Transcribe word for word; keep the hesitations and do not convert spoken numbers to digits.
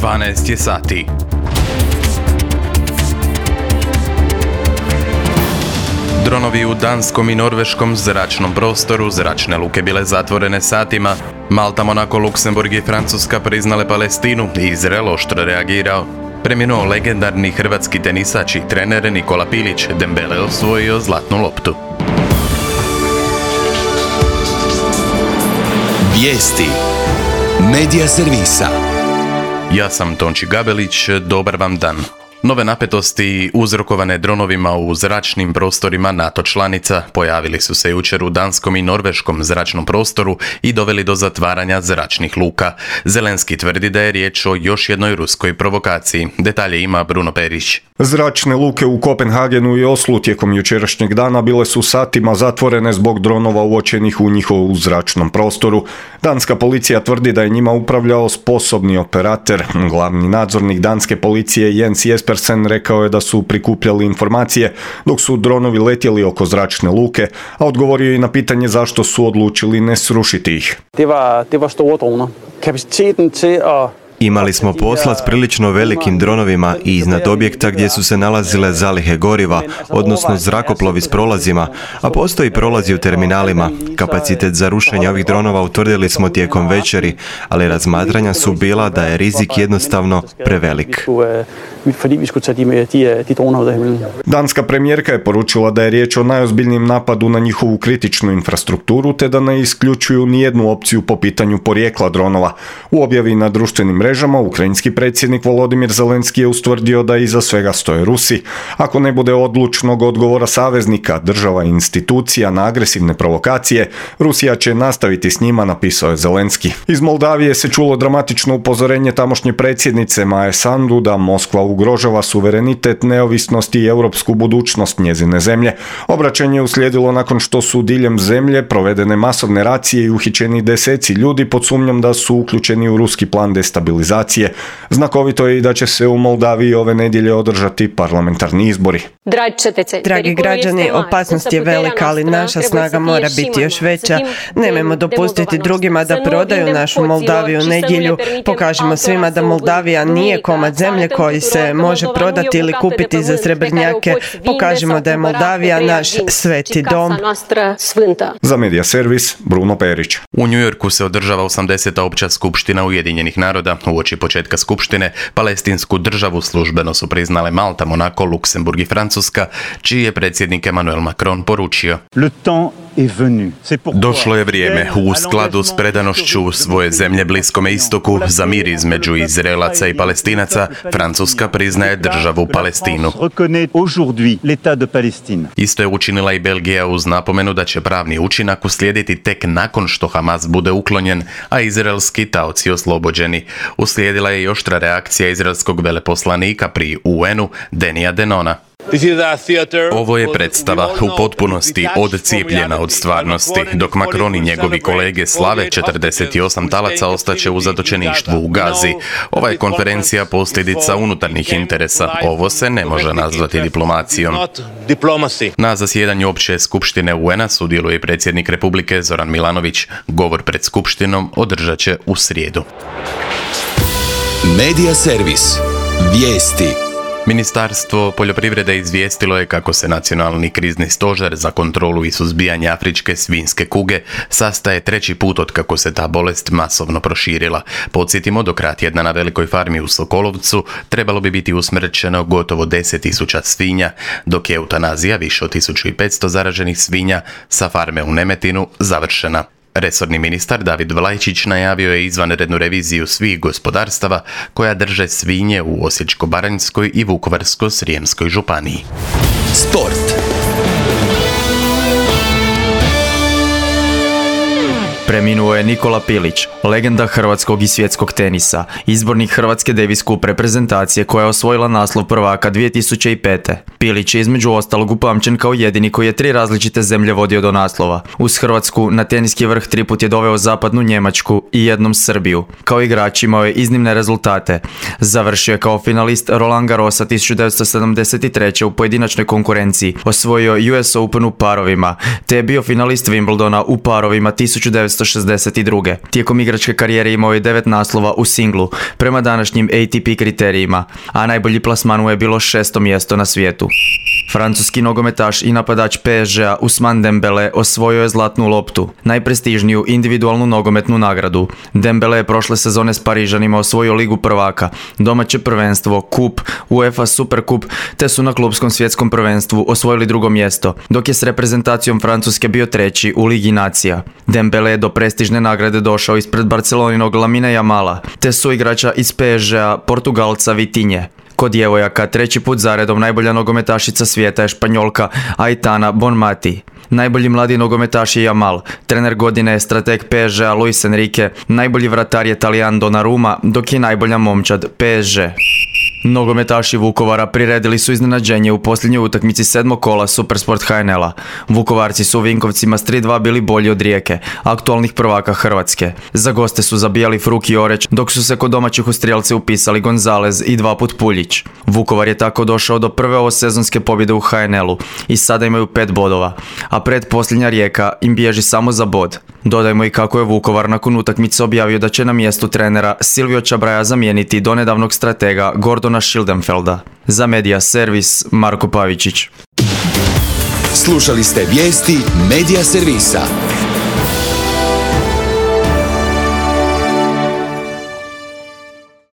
dvanaest je sati. Dronovi u danskom i norveškom zračnom prostoru, zračne luke bile zatvorene satima. Malta, Monako, Luksemburg i Francuska priznale Palestinu i Izrael oštro reagirao. Preminuo legendarni hrvatski tenisač i trener Nikola Pilić, Dembele osvojio zlatnu loptu. Vijesti Medija servisa. Ja sam Tonči Gabelić, dobar vam dan. Nove napetosti uzrokovane dronovima u zračnim prostorima NATO članica pojavili su se jučer u danskom i norveškom zračnom prostoru i doveli do zatvaranja zračnih luka. Zelenski tvrdi da je riječ o još jednoj ruskoj provokaciji. Detalje ima Bruno Perić. Zračne luke u Kopenhagenu i Oslu tijekom jučerašnjeg dana bile su satima zatvorene zbog dronova uočenih u njihovu zračnom prostoru. Danska policija tvrdi da je njima upravljao sposobni operater. Glavni nadzornik danske policije Jens Jespersen rekao je da su prikupljali informacije dok su dronovi letjeli oko zračne luke, a odgovorio je i na pitanje zašto su odlučili ne srušiti ih. Det var, det var store droner. Kapaciteten til at Imali smo posla s prilično velikim dronovima i iznad objekta gdje su se nalazile zalihe goriva, odnosno zrakoplovi s prolazima, a postoji prolazi u terminalima. Kapacitet za rušenje ovih dronova utvrdili smo tijekom večeri, ali razmatranja su bila da je rizik jednostavno prevelik. Danska premijerka je poručila da je riječ o najozbiljnijem napadu na njihovu kritičnu infrastrukturu, te da ne isključuju nijednu opciju po pitanju porijekla dronova. U objavi na društvenim mrežama ukrajinski predsjednik Volodimir Zelenski je ustvrdio da iza svega stoje Rusi. Ako ne bude odlučnog odgovora saveznika, država i institucija na agresivne provokacije, Rusija će nastaviti s njima, napisao je Zelenski. Iz Moldavije se čulo dramatično upozorenje tamošnje predsjednice Maje Sandu da Moskva ugrožava suverenitet, neovisnost i europsku budućnost njezine zemlje. Obraćanje je uslijedilo nakon što su diljem zemlje provedene masovne racije i uhićeni deseci ljudi pod sumnjom da su uključeni u ruski plan destabilizacije. Znakovito je i da će se u Moldaviji ove nedjelje održati parlamentarni izbori. Dragi građani, opasnost je velika, ali naša snaga mora biti još veća. Nemojmo dopustiti drugima da prodaju našu Moldaviju u nedjelju. Pokažimo svima da Moldavija nije komad zemlje koji se može prodati ili kupiti za srebrnjake. Pokažimo da je Moldavija naš sveti dom. Za Medija servis, Bruno Perić. U New Yorku se održava osamdeseta opća skupština Ujedinjenih naroda. Uoči početka skupštine, palestinsku državu službeno su priznale Malta, Monako, Luksemburg i Francuska, čiji je predsjednik Emmanuel Macron poručio: Došlo je vrijeme, u skladu s predanošću svoje zemlje Bliskome istoku, za mir između Izraelaca i Palestinaca, Francuska priznaje državu Palestinu. Isto je učinila i Belgija uz napomenu da će pravni učinak uslijediti tek nakon što Hamas bude uklonjen, a izraelski taoci oslobođeni. Uslijedila je i oštra reakcija izraelskog veleposlanika pri U N-u Denija Denona. Ovo je predstava u potpunosti odcijepljena od stvarnosti, dok Macron i njegovi kolege slave četrdeset osam talaca ostaće u zatočeništvu u Gazi. Ova je konferencija posljedica unutarnjih interesa. Ovo se ne može nazvati diplomacijom. Na zasjedanju opće skupštine U N-a sudjeluje predsjednik Republike Zoran Milanović. Govor pred skupštinom održat će u srijedu. Medija servis. Vijesti. Ministarstvo poljoprivrede izvijestilo je kako se Nacionalni krizni stožer za kontrolu i suzbijanje afričke svinjske kuge sastaje treći put od kako se ta bolest masovno proširila. Podsjetimo, do kraja tjedna na velikoj farmi u Sokolovcu trebalo bi biti usmrćeno gotovo deset tisuća svinja, dok je eutanazija više od tisuću petsto zaraženih svinja sa farme u Nemetinu završena. Resorni ministar David Vlajčić najavio je izvanrednu reviziju svih gospodarstava koja drže svinje u Osječko-baranjskoj i Vukovarsko-srijemskoj županiji. Sport. Preminuo je Nikola Pilić, legenda hrvatskog i svjetskog tenisa, izbornik Hrvatske Davis Cup reprezentacije koja je osvojila naslov prvaka dvije tisuće pete. Pilić je između ostalog upamćen kao jedini koji je tri različite zemlje vodio do naslova. Uz Hrvatsku na teniski vrh triput je doveo zapadnu Njemačku i jednom Srbiju. Kao igrač imao je iznimne rezultate. Završio je kao finalist Roland Garrosa tisuću devetsto sedamdeset treće u pojedinačnoj konkurenciji, osvojio U S Open u parovima, te je bio finalist Wimbledona u parovima tisuću devetsto devetnaesto šezdeset druge. Tijekom igračke karijere imao je devet naslova u singlu, prema današnjim A T P kriterijima, a najbolji plasman mu je bilo šesto mjesto na svijetu. Francuski nogometaš i napadač P S G-a Ousmane Dembele osvojio je zlatnu loptu, najprestižniju individualnu nogometnu nagradu. Dembele je prošle sezone s Parižanima osvojio Ligu prvaka, domaće prvenstvo, kup, UEFA Superkup, te su na klubskom svjetskom prvenstvu osvojili drugo mjesto, dok je s reprezentacijom Francuske bio treći u Ligi nacija. Dembele je do prestižne nagrade došao ispred Barceloninog Lamine Jamala, te su igrača iz P S G-a Portugalca Vitinje. Kod djevojaka treći put zaredom najbolja nogometašica svijeta je Španjolka Aitana Bonmati. Najbolji mladi nogometaš je Jamal, trener godine je strateg P S G-a Luis Enrique, najbolji vratar je Talijan Donnarumma, dok je najbolja momčad P S G. Nogometaši Vukovara priredili su iznenađenje u posljednjoj utakmici sedmog kola Supersport H N L-a. Vukovarci su u Vinkovcima s tri dva bili bolji od Rijeke, aktualnih prvaka Hrvatske. Za goste su zabijali Fruk i Oreć, dok su se kod domaćih u strijelce upisali Gonzalez i dva put Puljić. Vukovar je tako došao do prve ovosezonske pobjede u H N L-u i sada imaju pet bodova, a pretposljednja Rijeka im bježi samo za bod. Dodajmo i kako je Vukovar nakon utakmice objavio da će na mjestu trenera Silvio Čabraja zamijeniti donedavnog stratega Gordona Schildenfelda. Za Media Servis, Marko Pavičić. Slušali ste vijesti Media Servisa.